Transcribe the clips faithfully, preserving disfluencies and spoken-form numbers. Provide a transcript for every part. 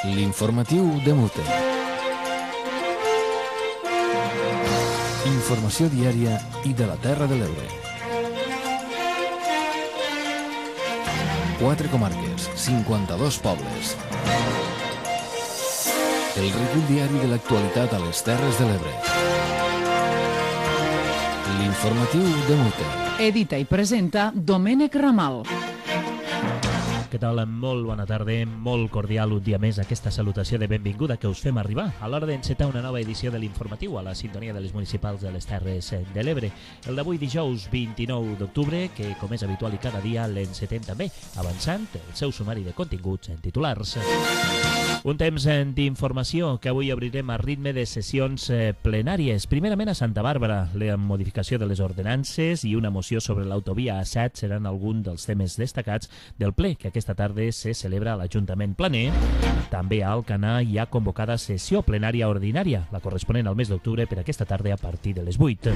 L'informatiu de Mute. Informació diària i de la Terra de l'Ebre. Quatre comarques, cinquanta-dos pobles. El recull diari de l'actualitat a les Terres de l'Ebre. L'informatiu de Mute. Edita i presenta Domènec Ramal. Què tal? Molt bona tarda, molt cordial un dia més aquesta salutació de benvinguda que us fem arribar a l'hora d'encetar una nova edició de l'informatiu a la sintonia de les municipals de les Terres de l'Ebre. El d'avui dijous vint-i-nou d'octubre, que com és habitual i cada dia l'encetem també, avançant el seu sumari de continguts en titulars. Un temps d'informació que avui obrirem a ritme de sessions plenàries. Primerament a Santa Bàrbara, la modificació de les ordenances i una moció sobre l'autovia A set seran alguns dels temes destacats del ple que aquesta tarda se celebra a l'Ajuntament Planer. També a Alcanar hi ha convocada sessió plenària ordinària, la corresponent al mes d'octubre per aquesta tarda a partir de les vuit.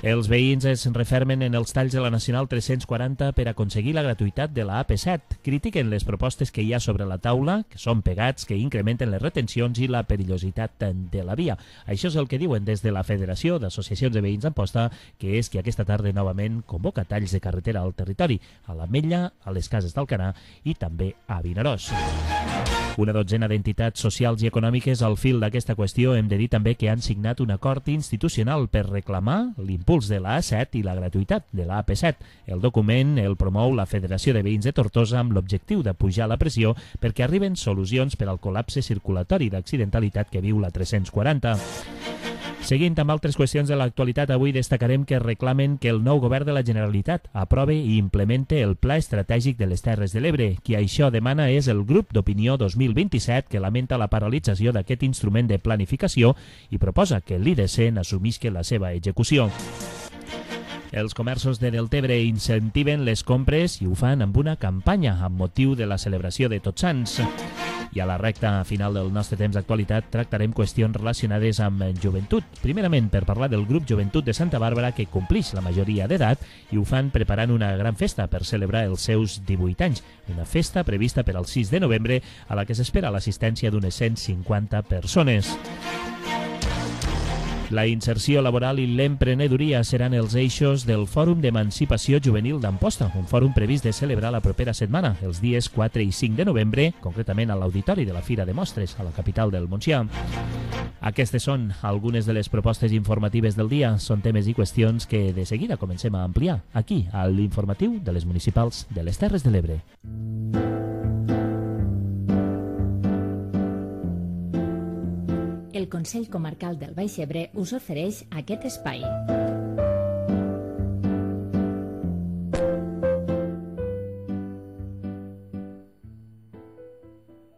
Els veïns es refermen en els talls de la Nacional tres-cents quaranta per aconseguir la gratuïtat de la A P set. Critiquen les propostes que hi ha sobre la taula, que són pegats, que incrementen les retencions i la perillositat de la via. Això és el que diuen des de la Federació d'Associacions de Veïns d'Amposta, que és que aquesta tarda novament convoca talls de carretera al territori, a l'Ametlla, a les Cases d'Alcanar i també a Vinaròs. Una dotzena d'entitats socials i econòmiques al fil d'aquesta qüestió hem de dir també que han signat un acord institucional per reclamar l'impuls de la A set i la gratuïtat de la A P set. El document el promou la Federació de Veïns de Tortosa amb l'objectiu de pujar la pressió perquè arriben solucions per al col·lapse circulatori d'accidentalitat que viu la tres-cents quaranta. Seguint amb altres qüestions de l'actualitat, avui destacarem que reclamen que el nou govern de la Generalitat aprove i implemente el Pla Estratègic de les Terres de l'Ebre. Qui això demana és el Grup d'Opinió dos mil vint-i-set, que lamenta la paralització d'aquest instrument de planificació i proposa que l'I D C n'assumisca la seva execució. Els comerços de Deltebre incentiven les compres i ho fan amb una campanya amb motiu de la celebració de Tots Sants. I a la recta final del nostre temps d'actualitat tractarem qüestions relacionades amb joventut. Primerament per parlar del grup Joventut de Santa Bàrbara que complix la majoria d'edat i ho fan preparant una gran festa per celebrar els seus divuit anys. Una festa prevista per al sis de novembre a la que s'espera l'assistència d'unes cent cinquanta persones. La inserció laboral i l'emprenedoria seran els eixos del Fòrum d'Emancipació Juvenil d'Amposta, un fòrum previst de celebrar la propera setmana, els dies quatre i cinc de novembre, concretament a l'auditori de la Fira de Mostres, a la capital del Montsià. Aquestes són algunes de les propostes informatives del dia. Són temes i qüestions que de seguida comencem a ampliar aquí, a l'informatiu de les municipals de les Terres de l'Ebre. El Consell Comarcal del Baix Ebre us ofereix aquest espai.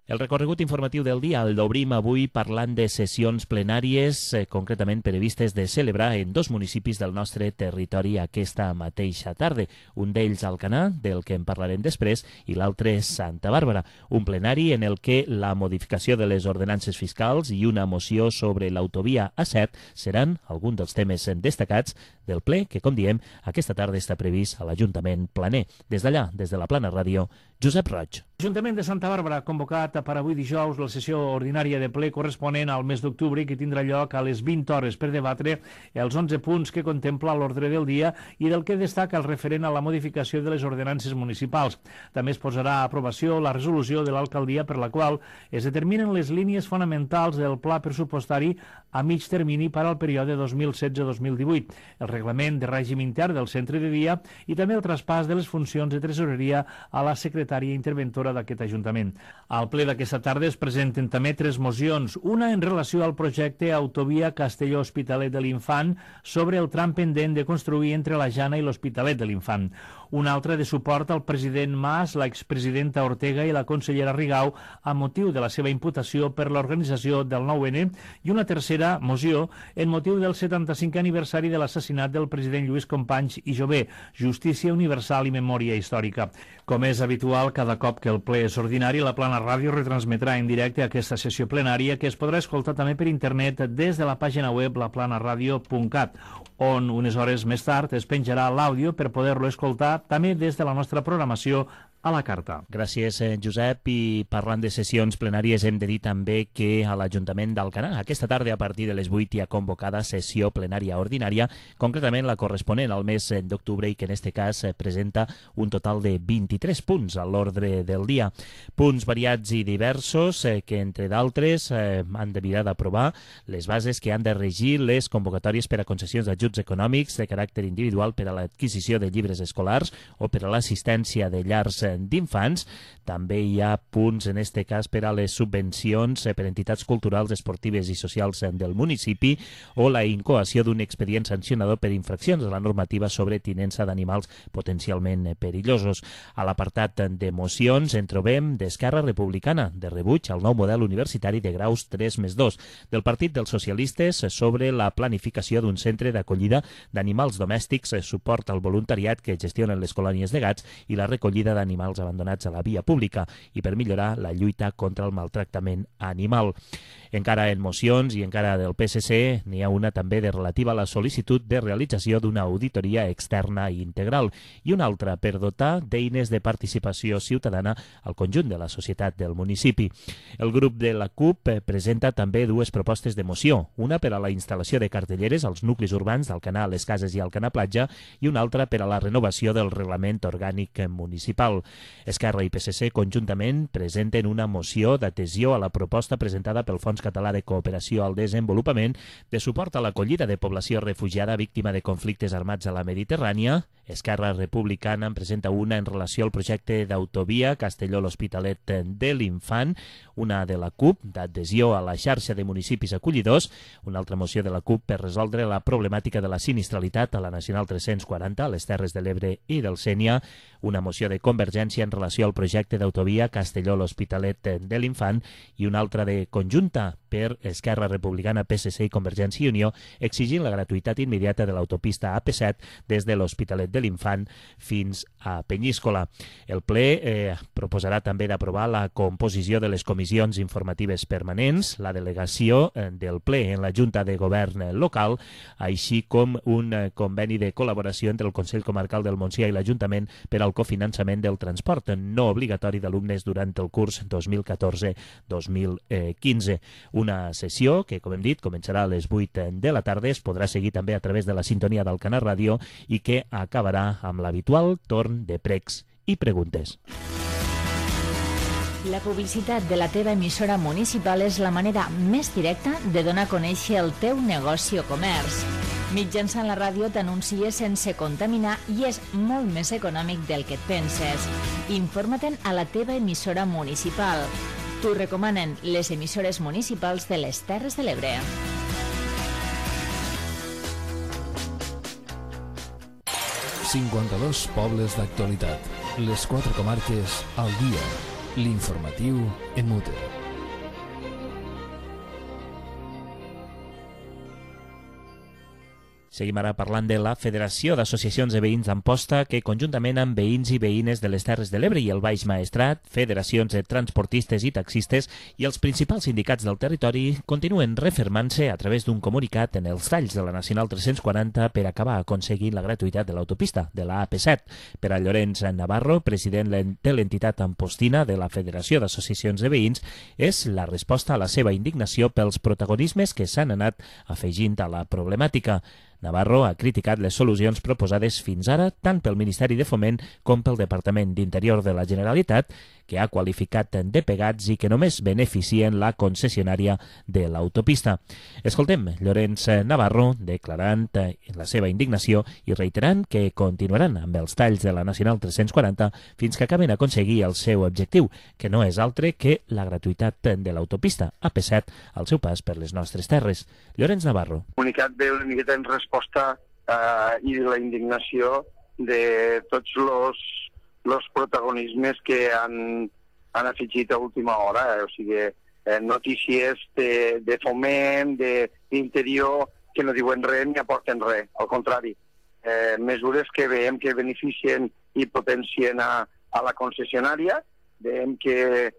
El recorregut informatiu del dia el d'obrim avui parlant de sessions plenàries, eh, concretament previstes de celebrar en dos municipis del nostre territori aquesta mateixa tarda. Un d'ells Alcanar, del que en parlarem després, i l'altre Santa Bàrbara. Un plenari en el que la modificació de les ordenances fiscals i una moció sobre l'autovia A set seran alguns dels temes destacats del ple que, com diem, aquesta tarda està previst a l'Ajuntament Planer. Des d'allà, des de la Plana Ràdio, Josep Roig. L'Ajuntament de Santa Bàrbara ha convocat per avui dijous la sessió ordinària de ple corresponent al mes d'octubre que tindrà lloc a les vint hores per debatre els onze punts que contempla l'ordre del dia i del que destaca el referent a la modificació de les ordenances municipals. També es posarà a aprovació la resolució de l'alcaldia per la qual es determinen les línies fonamentals del pla pressupostari a mig termini per al període dos mil setze dos mil divuit, el reglament de règim intern del centre de dia i també el traspàs de les funcions de tresoreria a la secretària interventora d'aquest Ajuntament. Al ple d'aquesta tarda es presenten també tres mocions, una en relació al projecte Autovia Castelló-Hospitalet de l'Infant sobre el tram pendent de construir entre la Jana i l'Hospitalet de l'Infant, una altra de suport al president Mas, l'expresidenta Ortega i la consellera Rigau a motiu de la seva imputació per l'organització del nou ene i una tercera moció en motiu del setanta-cinquè aniversari de l'assassinat del president Lluís Companys i Jové, justícia universal i memòria històrica. Com és habitual, cada cop que el ple és ordinari, la Plana Ràdio retransmetrà en directe aquesta sessió plenària que es podrà escoltar també per internet des de la pàgina web la plana ràdio punt cat, on unes hores més tard es penjarà l'àudio per poder-lo escoltar també des de la nostra programació a la carta. Gràcies, Josep. I parlant de sessions plenàries, hem de dir també que a l'Ajuntament d'Alcanar aquesta tarda a partir de les vuit hi ha convocada sessió plenària ordinària, concretament la corresponent al mes d'octubre i que en aquest cas presenta un total de vint-i-tres punts a l'ordre del dia. Punts variats i diversos eh, que, entre d'altres, eh, han de mirar d'aprovar les bases que han de regir les convocatòries per a concessions d'ajuts econòmics de caràcter individual per a l'adquisició de llibres escolars o per a l'assistència de llars d'infants. També hi ha punts, en aquest cas, per a les subvencions per a entitats culturals, esportives i socials del municipi o la incoació d'un expedient sancionador per infraccions de la normativa sobre tinença d'animals potencialment perillosos. A l'apartat de mocions en trobem d'Esquerra Republicana, de rebuig al nou model universitari de graus tres més dos, del Partit dels Socialistes sobre la planificació d'un centre d'acollida d'animals domèstics, suport al voluntariat que gestionen les colònies de gats i la recollida d'animals abandonats a la via pública i per millorar la lluita contra el maltractament animal. Encara en mocions i encara del P S C n'hi ha una també de relativa a la sol·licitud de realització d'una auditoria externa i integral i una altra per dotar d'eines de participació ciutadana al conjunt de la societat del municipi. El grup de la CUP presenta també dues propostes de moció, una per a la instal·lació de cartelleres als nuclis urbans d'Alcanar, les Cases i Alcanar Platja i una altra per a la renovació del reglament orgànic municipal. Esquerra i P S C conjuntament presenten una moció d'adhesió a la proposta presentada pel Fons Català de Cooperació al Desenvolupament de suport a l'acollida de població refugiada víctima de conflictes armats a la Mediterrània. Esquerra Republicana en presenta una en relació al projecte d'autovia Castelló-l'Hospitalet de l'Infant, una de la CUP d'adhesió a la xarxa de municipis acollidors, una altra moció de la CUP per resoldre la problemàtica de la sinistralitat a la Nacional tres-cents quaranta, a les Terres de l'Ebre i del Sénia, una moció de Convergència en relació al projecte d'autovia Castelló-l'Hospitalet de l'Infant i una altra de conjunta per Esquerra Republicana, P S C i Convergència i Unió, exigint la gratuïtat immediata de l'autopista A P set des de l'Hospitalet de l'Infant fins a Penyíscola. El ple eh, proposarà també d'aprovar la composició de les comissions informatives permanents, la delegació eh, del ple en la Junta de Govern local, així com un eh, conveni de col·laboració entre el Consell Comarcal del Montsià i l'Ajuntament per al cofinançament del transport no obligatori d'alumnes durant el curs dos mil catorze dos mil quinze. Una sessió que, com hem dit, començarà a les vuit de la tarda, es podrà seguir també a través de la sintonia d'Alcanar Ràdio i que acabarà amb l'habitual torn de pregs i preguntes. La publicitat de la teva emissora municipal és la manera més directa de donar a conèixer el teu negoci o comerç. Mitjançant la ràdio t'anuncies sense contaminar i és molt més econòmic del que et penses. Informa-te'n a la teva emissora municipal. T'ho recomanen les emissores municipals de les Terres de l'Ebre. cinquanta-dos pobles d'actualitat. Les quatre comarques al dia. L'informatiu en Mute. Seguim ara parlant de la Federació d'Associacions de Veïns d'Amposta, que conjuntament amb veïns i veïnes de les Terres de l'Ebre i el Baix Maestrat, federacions de transportistes i taxistes i els principals sindicats del territori continuen refermant-se a través d'un comunicat en els talls de la Nacional tres-cents quaranta per acabar aconseguint la gratuïtat de l'autopista de la A P set. Per a Llorenç Navarro, president de l'entitat ampostina de la Federació d'Associacions de Veïns, és la resposta a la seva indignació pels protagonismes que s'han anat afegint a la problemàtica. Navarro ha criticat les solucions proposades fins ara tant pel Ministeri de Foment com pel Departament d'Interior de la Generalitat, que ha qualificat de pegats i que només beneficien la concessionària de l'autopista. Escoltem Llorenç Navarro declarant la seva indignació i reiterant que continuaran amb els talls de la Nacional tres-cents quaranta fins que acaben aconseguir el seu objectiu, que no és altre que la gratuïtat de l'autopista A P set al seu pas per les nostres terres. Llorenç Navarro. El comunicat ve una miqueta en resposta eh, i la indignació de tots els los protagonismes que han, han afegit a última hora, eh? O sigui, eh, notícies de, de foment, d'interior, que no diuen res ni aporten res, al contrari. Eh, mesures que veiem que beneficien i potencien a, a la concessionària, veiem que,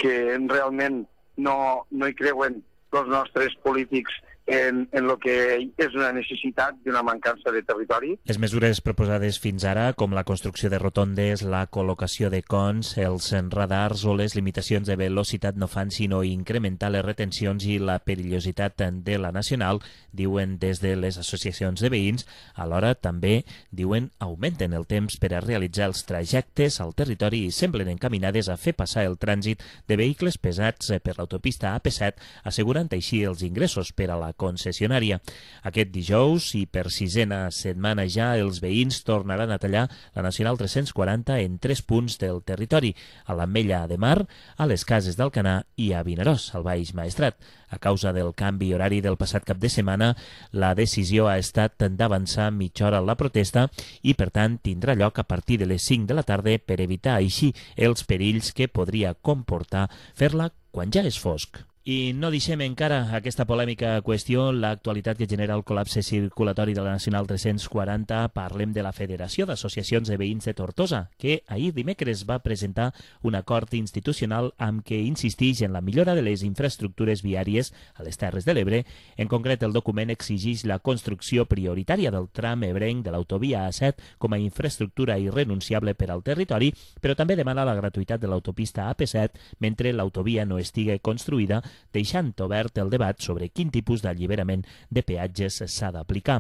que realment no, no hi creuen els nostres polítics en, en el que és una necessitat d'una mancança de territori. Les mesures proposades fins ara, com la construcció de rotondes, la col·locació de cons, els radars o les limitacions de velocitat no fan sinó incrementar les retencions i la perillositat de la nacional, diuen des de les associacions de veïns. Alhora també, diuen, augmenten el temps per a realitzar els trajectes al territori i semblen encaminades a fer passar el trànsit de vehicles pesats per l'autopista A P set, assegurant així els ingressos per a la concessionària. Aquest dijous i per sisena setmana ja els veïns tornaran a tallar la Nacional tres-cents quaranta en tres punts del territori, a l'Ametlla de Mar, a les Cases d'Alcanar i a Vinaròs, al Baix Maestrat. A causa del canvi horari del passat cap de setmana, la decisió ha estat d'avançar mitja hora la protesta i, per tant, tindrà lloc a partir de les cinc de la tarda per evitar així els perills que podria comportar fer-la quan ja és fosc. I no deixem encara aquesta polèmica qüestió, l'actualitat que genera el col·lapse circulatori de la Nacional tres-cents quaranta. Parlem de la Federació d'Associacions de Veïns de Tortosa, que ahir dimecres va presentar un acord institucional amb què insisteix en la millora de les infraestructures viàries a les Terres de l'Ebre. En concret, el document exigeix la construcció prioritària del tram ebrenc de l'autovia A set com a infraestructura irrenunciable per al territori, però també demana la gratuïtat de l'autopista A P set mentre l'autovia no estigui construïda, deixant obert el debat sobre quin tipus d'alliberament de peatges s'ha d'aplicar.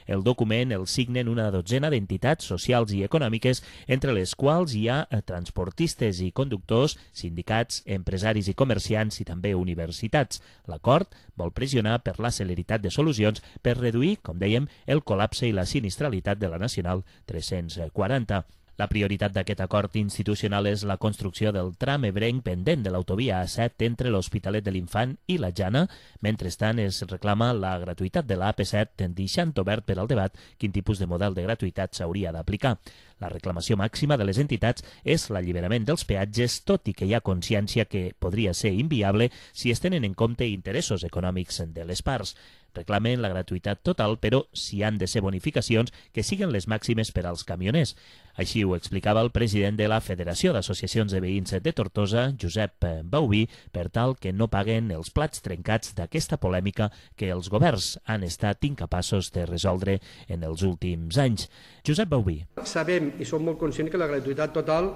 El document el signen una dotzena d'entitats socials i econòmiques, entre les quals hi ha transportistes i conductors, sindicats, empresaris i comerciants i també universitats. L'acord vol pressionar per la celeritat de solucions per reduir, com dèiem, el col·lapse i la sinistralitat de la Nacional tres-cents quaranta. La prioritat d'aquest acord institucional és la construcció del tram ebrenc pendent de l'autovia A set entre l'Hospitalet de l'Infant i la Jana. Mentrestant, es reclama la gratuïtat de la A P set, deixant obert per al debat quin tipus de model de gratuïtat s'hauria d'aplicar. La reclamació màxima de les entitats és l'alliberament dels peatges, tot i que hi ha consciència que podria ser inviable si es tenen en compte interessos econòmics de les parts. Reclamen la gratuïtat total, però si han de ser bonificacions, que siguin les màximes per als camioners. Així ho explicava el president de la Federació d'Associacions de Veïns de Tortosa, Josep Bauví, per tal que no paguen els plats trencats d'aquesta polèmica que els governs han estat incapaços de resoldre en els últims anys. Josep Bauví. Sabem i som molt conscients que la gratuïtat total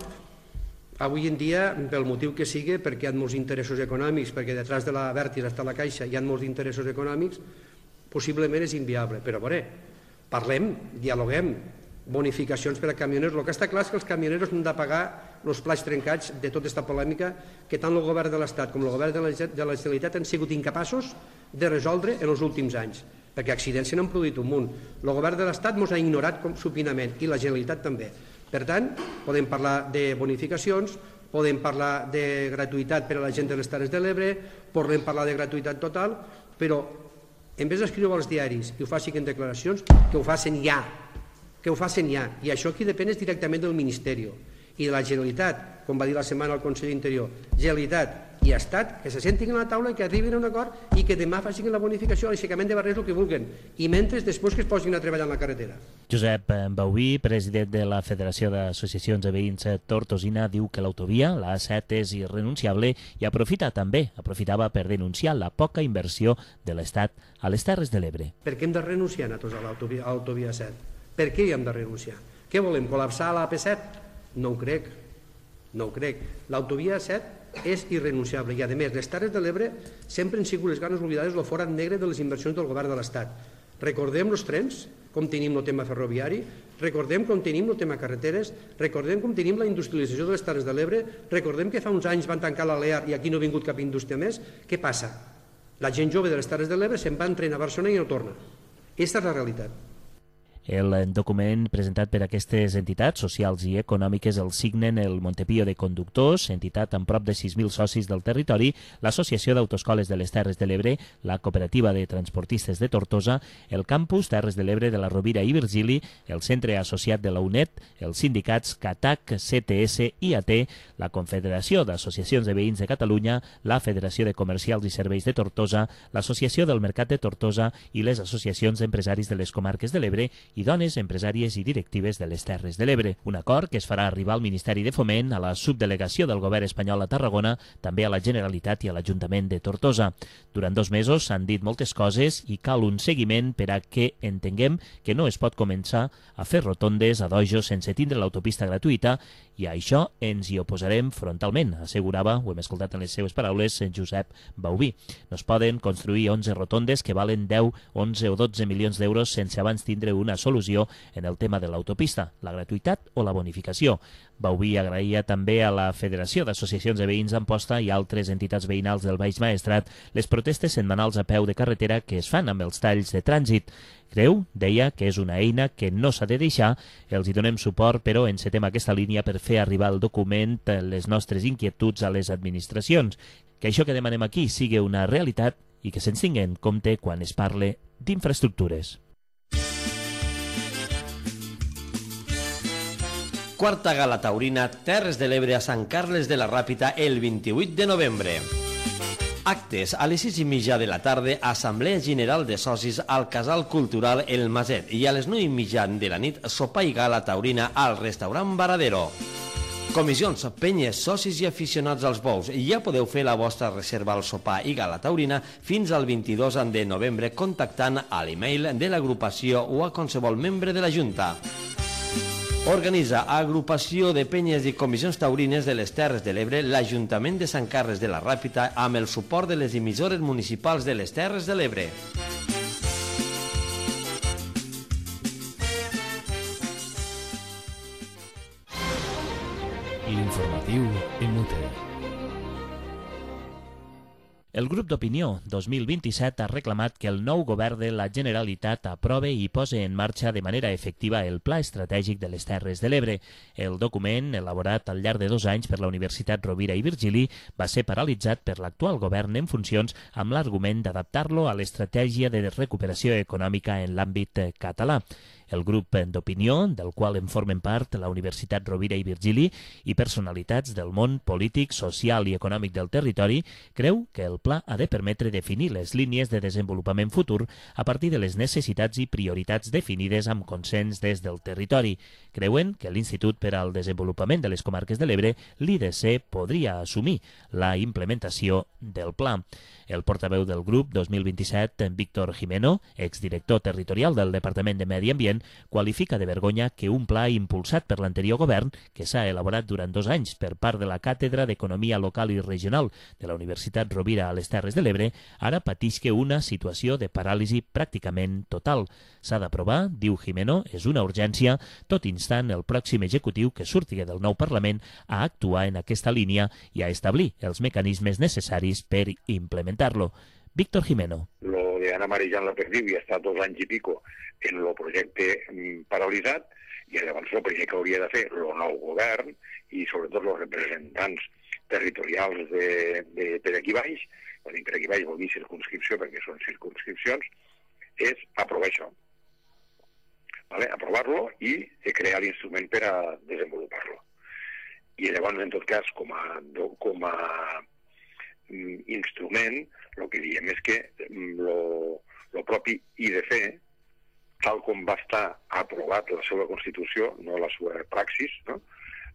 avui en dia, pel motiu que sigui, perquè hi ha molts interessos econòmics, perquè detrás de la Vertis està la Caixa, hi ha molts interessos econòmics, possiblement és inviable. Però, a veure, parlem, dialoguem, bonificacions per a camioners. El que està clar és que els camioners han de pagar els plats trencats de tota aquesta polèmica que tant el govern de l'Estat com el govern de la Generalitat han sigut incapaços de resoldre en els últims anys, perquè accidents se n'han produït un munt. El govern de l'Estat ens ha ignorat supinament i la Generalitat també. Per tant, podem parlar de bonificacions, podem parlar de gratuïtat per a la gent de les Terres de l'Ebre, podem parlar de gratuïtat total, però en vez d'escriure als diaris i ho facin en declaracions, que ho facin ja, que ho facin ja. I això aquí depèn directament del Ministeri i de la Generalitat, com va dir la setmana el conseller d'Interior. Generalitat i Estat, que se sentin a la taula i que arribin a un acord i que demà facin la bonificació, l'aixecament de barrers, el que vulguin, i mentre després que es posin a treballar en la carretera. Josep Bauví, president de la Federació d'Associacions de Veïns Tortosina, diu que l'autovia, la A set, és irrenunciable i aprofita també, aprofitava per denunciar la poca inversió de l'Estat a les Terres de l'Ebre. Per què hem de renunciar nosaltres a l'autovia A set? Per què hi hem de renunciar? Què volem, col·lapsar la A P set? No ho crec, no ho crec. L'autovia A set és irrenunciable i, a més, les Terres de l'Ebre sempre han sigut les ganes oblidades el forat negre de les inversions del govern de l'Estat. Recordem els trens, com tenim el tema ferroviari, recordem com tenim el tema carreteres, recordem com tenim la industrialització de les Terres de l'Ebre, recordem que fa uns anys van tancar l'A L E A i aquí no ha vingut cap indústria més. Què passa? La gent jove de les Terres de l'Ebre se'n va entrenar a Barcelona i no torna. Aquesta és la realitat. El document presentat per aquestes entitats socials i econòmiques el signen el Montepío de Conductors, entitat amb prop de sis mil socis del territori, l'Associació d'Autoscoles de les Terres de l'Ebre, la Cooperativa de Transportistes de Tortosa, el Campus Terres de l'Ebre de la Rovira i Virgili, el Centre Associat de la U N E D, els sindicats CATAC, C T S, I A T, la Confederació d'Associacions de Veïns de Catalunya, la Federació de Comercials i Serveis de Tortosa, l'Associació del Mercat de Tortosa i les associacions d'empresaris de les comarques de l'Ebre i dones empresàries i directives de les Terres de l'Ebre. Un acord que es farà arribar al Ministeri de Foment, a la subdelegació del govern espanyol a Tarragona, també a la Generalitat i a l'Ajuntament de Tortosa. Durant dos mesos s'han dit moltes coses i cal un seguiment per a que entenguem que no es pot començar a fer rotondes a dojos sense tindre l'autopista gratuïta i a això ens hi oposarem frontalment, assegurava, ho hem escoltat en les seves paraules, Josep Baubí. No es poden construir onze rotondes que valen deu, onze o dotze milions d'euros sense abans tindre una solució en el tema de l'autopista, la gratuïtat o la bonificació. Baubí agraïa també a la Federació d'Associacions de Veïns d'Amposta i altres entitats veïnals del Baix Maestrat les protestes setmanals a peu de carretera que es fan amb els talls de trànsit. Creu, deia, que és una eina que no s'ha de deixar, els hi donem suport, però encetem aquesta línia per fer arribar el document les nostres inquietuds a les administracions. Que això que demanem aquí sigui una realitat i que se'ns tingui en compte quan es parle d'infraestructures. Quarta gala taurina Terres de l'Ebre a Sant Carles de la Ràpita el vint-i-vuit de novembre. Actes a les sis i mitja de la tarda, Assemblea General de Socis al Casal Cultural El Maset i a les nou i mitja de la nit, sopar i gala taurina al restaurant Varadero. Comissions, penyes, socis i aficionats als bous. Ja podeu fer la vostra reserva al sopar i gala taurina fins al vint-i-dos de novembre contactant a l'email de l'agrupació o a qualsevol membre de la Junta. Organitza Agrupació de Penyes i Comissions Taurines de les Terres de l'Ebre l'Ajuntament de Sant Carles de la Ràpita amb el suport de les emissores municipals de les Terres de l'Ebre. L'informatiu en Mute. El grup d'opinió dos mil vint-i-set ha reclamat que el nou govern de la Generalitat aprove i posi en marxa de manera efectiva el Pla Estratègic de les Terres de l'Ebre. El document, elaborat al llarg de dos anys per la Universitat Rovira i Virgili, va ser paralitzat per l'actual govern en funcions amb l'argument d'adaptar-lo a l'estratègia de recuperació econòmica en l'àmbit català. El grup d'opinió, del qual en formen part la Universitat Rovira i Virgili i personalitats del món polític, social i econòmic del territori, creu que el pla ha de permetre definir les línies de desenvolupament futur a partir de les necessitats i prioritats definides amb consens des del territori. Creuen que l'Institut per al Desenvolupament de les Comarques de l'Ebre, l'I D C, podria assumir la implementació del pla. El portaveu del grup dos mil vint-i-set, Víctor Jimeno, exdirector territorial del Departament de Medi Ambient, qualifica de vergonya que un pla impulsat per l'anterior govern, que s'ha elaborat durant dos anys per part de la Càtedra d'Economia Local i Regional de la Universitat Rovira a les Terres de l'Ebre, ara patisca una situació de paràlisi pràcticament total. S'ha d'aprovar, diu Jimeno, és una urgència, tot instant el pròxim executiu que surti del nou Parlament a actuar en aquesta línia i a establir els mecanismes necessaris per implementar-lo. Víctor Jimeno. Lo de Ana Marillán la perdiu i ha estat dos anys i pico en el projecte paralitzat i llavors el primer que hauria de fer el nou govern i sobretot els representants territorials de, de, per aquí baix, quan dic per aquí baix vol dir circunscripció perquè són circunscripcions, és aprovar això. Vale? Aprovar-lo i crear l'instrument per a desenvolupar-lo. I llavors, en tot cas, com a, com a instrument, el que diem és que el propi I D C, tal com va estar aprovat la seva Constitució, no la seva praxis, no?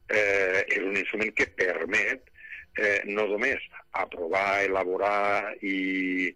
eh, és un instrument que permet eh, no només aprovar, elaborar i,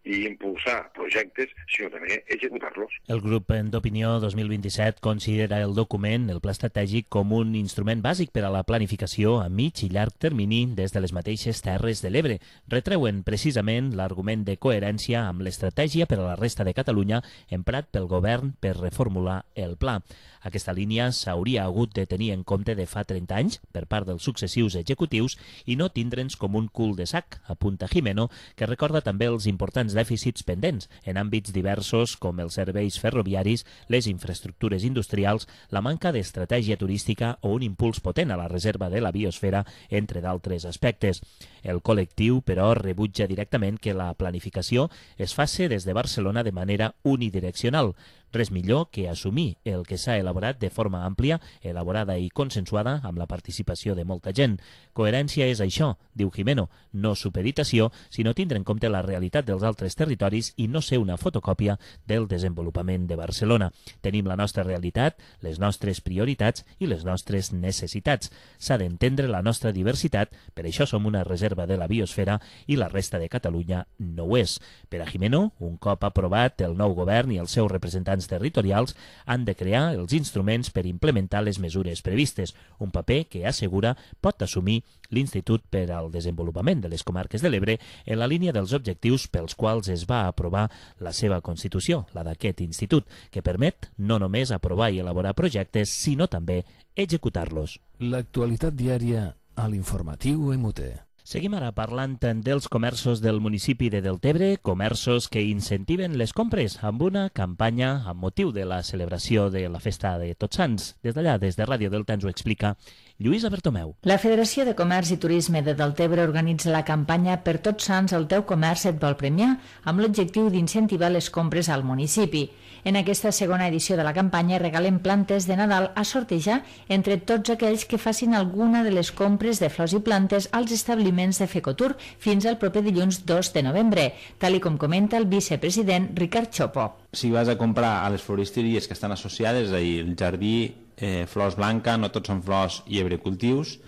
i impulsar projectes, sinó també executar-los. El grup d'opinió dos mil vint-i-set considera el document, el pla estratègic, com un instrument bàsic per a la planificació a mig i llarg termini des de les mateixes Terres de l'Ebre. Retreuen precisament l'argument de coherència amb l'estratègia per a la resta de Catalunya emprat pel govern per reformular el pla. Aquesta línia s'hauria hagut de tenir en compte de fa trenta anys per part dels successius executius i no tindre'ns com un cul de sac, apunta Jimeno, que recorda també els importants dèficits pendents en àmbits diversos com els serveis ferroviaris, les infraestructures industrials, la manca d'estratègia turística o un impuls potent a la reserva de la biosfera, entre d'altres aspectes. El col·lectiu, però, rebutja directament que la planificació es faci des de Barcelona de manera unidireccional. Res millor que assumir el que s'ha elaborat de forma àmplia, elaborada i consensuada amb la participació de molta gent. Coherència és això, diu Gimeno, no supeditació, sinó tindre en compte la realitat dels altres territoris i no ser una fotocòpia del desenvolupament de Barcelona. Tenim la nostra realitat, les nostres prioritats i les nostres necessitats. S'ha d'entendre la nostra diversitat, per això som una reserva de la biosfera i la resta de Catalunya no ho és. Per a Gimeno, un cop aprovat el nou govern i els seus representants territorials han de crear els instruments per implementar les mesures previstes, un paper que assegura pot assumir l'Institut per al Desenvolupament de les Comarques de l'Ebre en la línia dels objectius pels quals es va aprovar la seva Constitució, la d'aquest institut, que permet no només aprovar i elaborar projectes, sinó també executar-los. L'actualitat diària a l'informatiu M U T. Seguim ara parlant dels comerços del municipi de Deltebre, comerços que incentiven les compres amb una campanya amb motiu de la celebració de la festa de Tots Sants. Des d'allà, des de Ràdio Delta, ens ho explica Lluïsa Bertomeu. La Federació de Comerç i Turisme de Deltebre organitza la campanya Per Tots Sants el teu comerç et vol premiar, amb l'objectiu d'incentivar les compres al municipi. En aquesta segona edició de la campanya regalen plantes de Nadal a sortejar entre tots aquells que facin alguna de les compres de flors i plantes als establiments de Fecotur fins al proper dilluns dos de novembre, tal i com comenta el vicepresident Ricard Chopo. Si vas a comprar a les floristeries que estan associades, és a dir, el jardí, eh, Flors Blanca, no tots són flors i hebrecultius,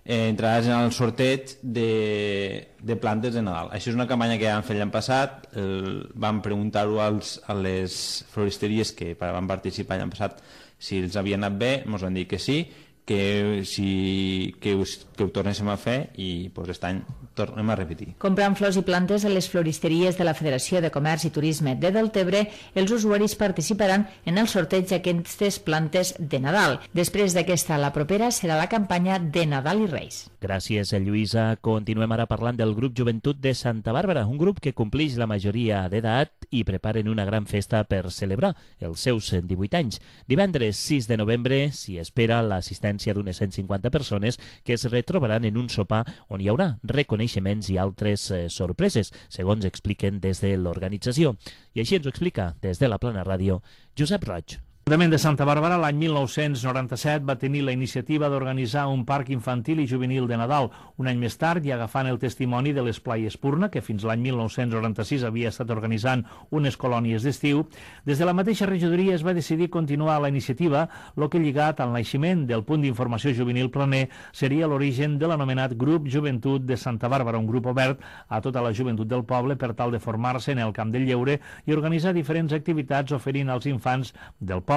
eh, entraràs en el sorteig de, de plantes de Nadal. Això és una campanya que vam fer l'any passat, el, vam preguntar-ho als, a les floristeries que van participar l'any passat si els havia anat bé, ens van dir que sí, que, si, que, us, que ho tornéssim a fer i pues, aquest any tornem a repetir. Comprant flors i plantes a les floristeries de la Federació de Comerç i Turisme de Deltebre, els usuaris participaran en el sorteig d'aquestes plantes de Nadal. Després d'aquesta, la propera serà la campanya de Nadal i Reis. Gràcies, Lluïsa. Continuem ara parlant del grup Joventut de Santa Bàrbara, un grup que complix la majoria d'edat i preparen una gran festa per celebrar els seus divuit anys. Divendres sis de novembre s'hi espera l'assistència d'unes cent cinquanta persones que es retrobaran en un sopar on hi haurà reconeixements i altres eh, sorpreses, segons expliquen des de l'organització. I així ens ho explica des de la Plana Ràdio Josep Roig. L'Ajuntament de Santa Bàrbara l'any mil nou-cents noranta-set va tenir la iniciativa d'organitzar un parc infantil i juvenil de Nadal. Un any més tard, i agafant el testimoni de l'Esplai Espurna, que fins l'any mil nou-cents noranta-sis havia estat organitzant unes colònies d'estiu, des de la mateixa regidoria es va decidir continuar la iniciativa, el que lligat al naixement del punt d'informació juvenil planer seria l'origen de l'anomenat Grup Joventut de Santa Bàrbara, un grup obert a tota la joventut del poble per tal de formar-se en el camp del lleure i organitzar diferents activitats oferint als infants del poble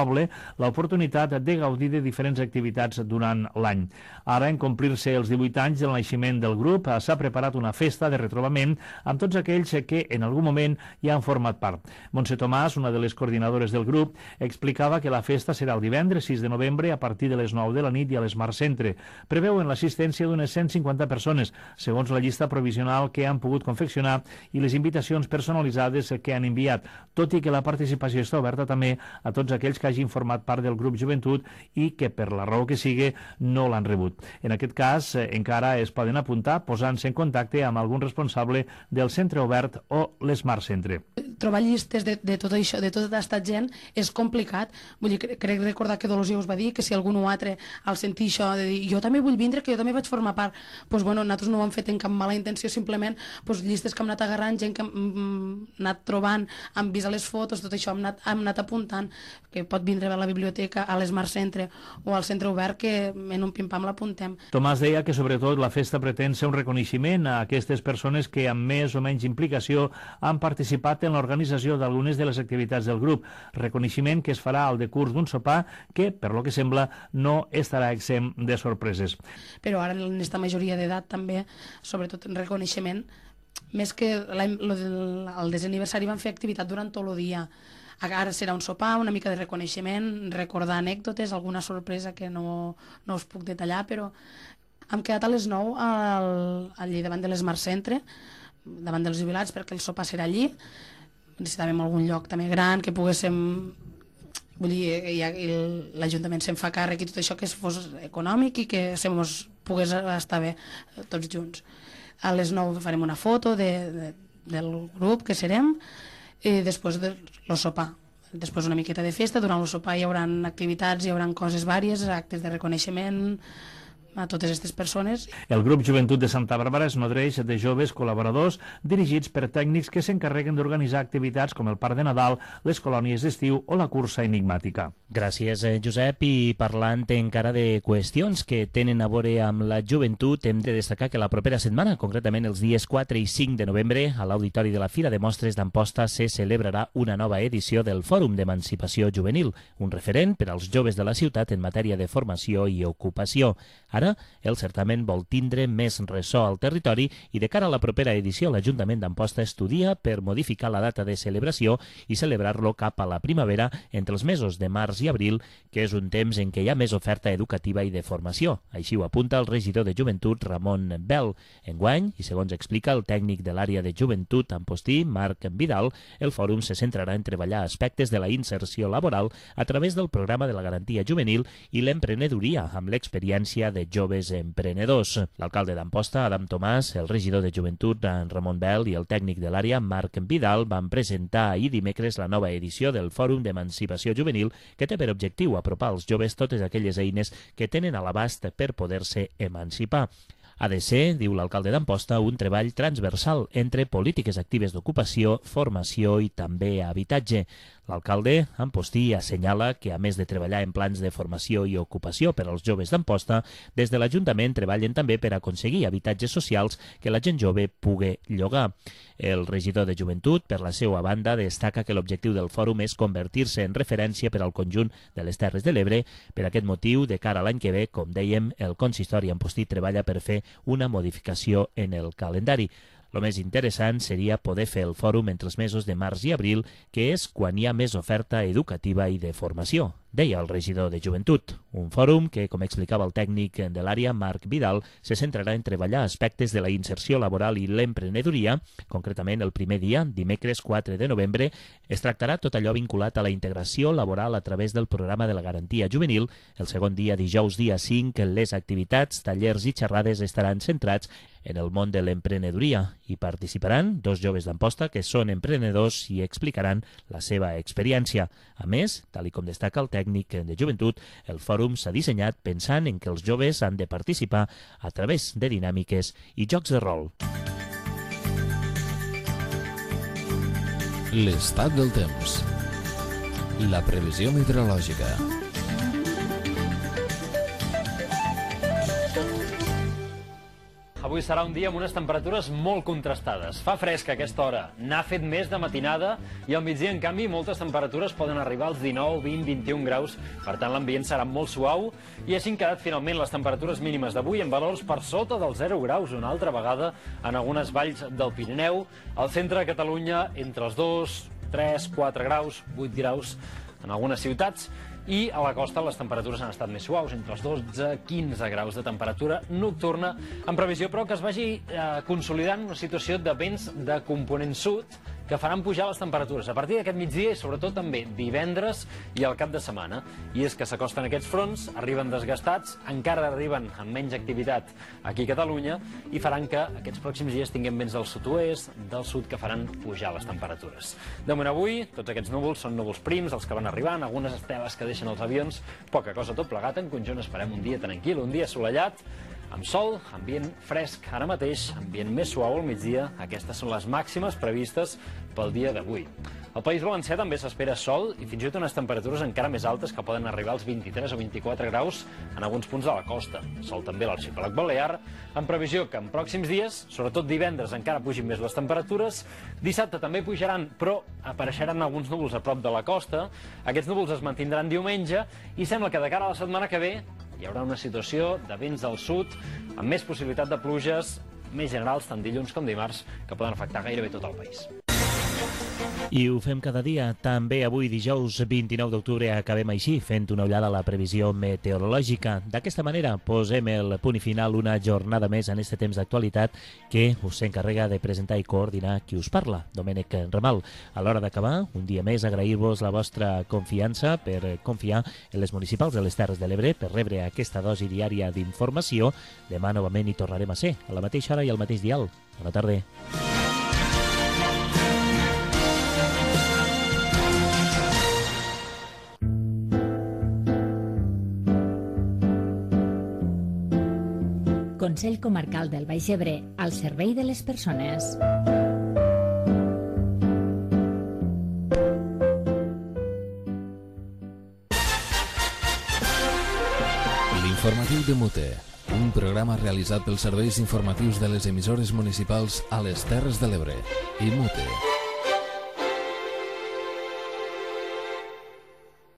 l'oportunitat de gaudir de diferents activitats durant l'any. Ara, en complir-se els divuit anys del naixement del grup, s'ha preparat una festa de retrobament amb tots aquells que en algun moment hi han format part. Montse Tomàs, una de les coordinadores del grup, explicava que la festa serà el divendres sis de novembre a partir de les nou de la nit i a l'Smart Centre. Preveuen l'assistència d'unes cent cinquanta persones, segons la llista provisional que han pogut confeccionar i les invitacions personalitzades que han enviat, tot i que la participació està oberta també a tots aquells que hagin format part del grup Joventut i que per la raó que sigui no l'han rebut. En aquest cas, eh, encara es poden apuntar posant-se en contacte amb algun responsable del centre obert o l'Smart Centre. Trobar llistes de, de tot això, de tota aquesta gent, és complicat. Vull dir, crec recordar que Dolors ja us va dir que si algun o altre al sentir això de dir jo també vull vindre, que jo també vaig formar part, doncs bueno, nosaltres no ho hem fet en cap mala intenció, simplement doncs, llistes que hem anat agarrant, gent que hem, hem anat trobant, hem vist les fotos, tot això, hem anat, hem anat apuntant, que pot vindre a la biblioteca, a l'Smart Centre o al centre obert, que en un pim-pam l'apuntem. Tomàs deia que sobretot la festa pretén ser un reconeixement a aquestes persones que amb més o menys implicació han participat en l'organització d'algunes de les activitats del grup. Reconeixement que es farà al decurs d'un sopar que, per lo que sembla, no estarà exempt de sorpreses. Però ara en aquesta majoria d'edat també, sobretot en reconeixement, més que el desaniversari van fer activitat durant tot el dia. Ara serà un sopar, una mica de reconeixement, recordar anècdotes, alguna sorpresa que no, no us puc detallar, però hem quedat a les nou al, allí davant de l'Smart Centre, davant dels jubilats, perquè el sopar serà allí. Necessitàvem algun lloc també gran, que poguéssim... Vull dir, ja, l'Ajuntament se'n fa càrrec i tot això, que fos econòmic i que se mos pogués estar bé tots junts. A les nou farem una foto de, de, del grup que serem, i després de el sopar. Després una miqueta de festa, durant el sopar hi haurà activitats, hi haurà coses vàries, actes de reconeixement a totes aquestes persones. El grup Joventut de Santa Bàrbara es nodreix de joves col·laboradors dirigits per tècnics que s'encarreguen d'organitzar activitats com el Parc de Nadal, les colònies d'estiu o la cursa enigmàtica. Gràcies, Josep. I parlant encara de qüestions que tenen a veure amb la joventut, hem de destacar que la propera setmana, concretament els dies quatre i cinc de novembre, a l'Auditori de la Fira de Mostres d'Amposta se celebrarà una nova edició del Fòrum d'Emancipació Juvenil, un referent per als joves de la ciutat en matèria de formació i ocupació. Ara, el certamen vol tindre més ressò al territori i de cara a la propera edició l'Ajuntament d'Amposta estudia per modificar la data de celebració i celebrar-lo cap a la primavera entre els mesos de març i abril, que és un temps en què hi ha més oferta educativa i de formació. Així ho apunta el regidor de Joventut, Ramon Bel. Enguany, i segons explica el tècnic de l'àrea de Joventut Ampostí, Marc Vidal, el fòrum se centrarà en treballar aspectes de la inserció laboral a través del programa de la garantia juvenil i l'emprenedoria amb l'experiència de joves emprenedors. L'alcalde d'Amposta, Adam Tomàs, el regidor de Joventut, Ramon Bel, i el tècnic de l'àrea, Marc Vidal, van presentar ahir dimecres la nova edició del Fòrum d'Emancipació Juvenil, que té per objectiu apropar als joves totes aquelles eines que tenen a l'abast per poder-se emancipar. Ha de ser, diu l'alcalde d'Amposta, un treball transversal entre polítiques actives d'ocupació, formació i també habitatge. L'alcalde Ampostí assenyala que, a més de treballar en plans de formació i ocupació per als joves d'Amposta, des de l'Ajuntament treballen també per aconseguir habitatges socials que la gent jove pugui llogar. El regidor de Joventut, per la seva banda, destaca que l'objectiu del fòrum és convertir-se en referència per al conjunt de les Terres de l'Ebre. Per aquest motiu, de cara a l'any que ve, com dèiem, el consistori Ampostí treballa per fer una modificació en el calendari. El més interessant seria poder fer el fòrum entre els mesos de març i abril, que és quan hi ha més oferta educativa i de formació, deia el regidor de Joventut. Un fòrum que, com explicava el tècnic de l'àrea, Marc Vidal, se centrarà en treballar aspectes de la inserció laboral i l'emprenedoria. Concretament, el primer dia, dimecres quatre de novembre, es tractarà tot allò vinculat a la integració laboral a través del programa de la garantia juvenil. El segon dia, dijous dia cinc, les activitats, tallers i xerrades estaran centrats en el món de l'emprenedoria. Hi participaran dos joves d'Amposta que són emprenedors i explicaran la seva experiència. A més, tal i com destaca el tècnic de Joventut, el fòrum s'ha dissenyat pensant en que els joves han de participar a través de dinàmiques i jocs de rol. L'estat del temps. La previsió meteorològica. Avui serà un dia amb unes temperatures molt contrastades. Fa fresc a aquesta hora, n'ha fet més de matinada i al migdia, en canvi, moltes temperatures poden arribar als dinou, vint, vint-i-un graus. Per tant, l'ambient serà molt suau i així han quedat finalment les temperatures mínimes d'avui en valors per sota dels zero graus una altra vegada en algunes valls del Pirineu. Al centre de Catalunya, entre els dos, tres, quatre graus, vuit graus en algunes ciutats. I a la costa les temperatures han estat més suaus, entre els dotze i quinze graus de temperatura nocturna, en previsió però que es vagi eh, consolidant una situació de vents de component sud que faran pujar les temperatures a partir d'aquest migdia i sobretot també divendres i al cap de setmana. I és que s'acosten aquests fronts, arriben desgastats, encara arriben amb menys activitat aquí a Catalunya i faran que aquests pròxims dies tinguem vents del sud-oest, del sud, que faran pujar les temperatures. De moment avui, tots aquests núvols són núvols prims, els que van arribant, algunes esteles que deixen els avions, poca cosa tot plegat. En conjunt esperem un dia tranquil, un dia assolellat, amb sol, ambient fresc ara mateix, ambient més suau al migdia. Aquestes són les màximes previstes pel dia d'avui. Al País Valencià també s'espera sol i fins i tot unes temperatures encara més altes que poden arribar als vint-i-tres o vint-i-quatre graus en alguns punts de la costa. Sol també a l'arxipèlag balear, en previsió que en pròxims dies, sobretot divendres, encara pugin més les temperatures. Dissabte també pujaran, però apareixeran alguns núvols a prop de la costa. Aquests núvols es mantindran diumenge i sembla que de cara a la setmana que ve hi haurà una situació de vents del sud amb més possibilitat de pluges més generals tant dilluns com dimarts que poden afectar gairebé tot el país. I ho fem cada dia. També avui, dijous vint-i-nou d'octubre, acabem així, fent una ullada a la previsió meteorològica. D'aquesta manera, posem el punt i final una jornada més en este temps d'actualitat que us s'encarrega de presentar i coordinar qui us parla, Domènec Ramal. A l'hora d'acabar, un dia més, agrair-vos la vostra confiança per confiar en les municipals de les Terres de l'Ebre, per rebre aquesta dosi diària d'informació. Demà novament hi tornarem a ser, a la mateixa hora i al mateix dial. Bona tarda. Consell Comarcal del Baix Ebre, al servei de les persones. L'informatiu de Mute, un programa realitzat pels serveis informatius de les emissores municipals a les Terres de l'Ebre i Mute.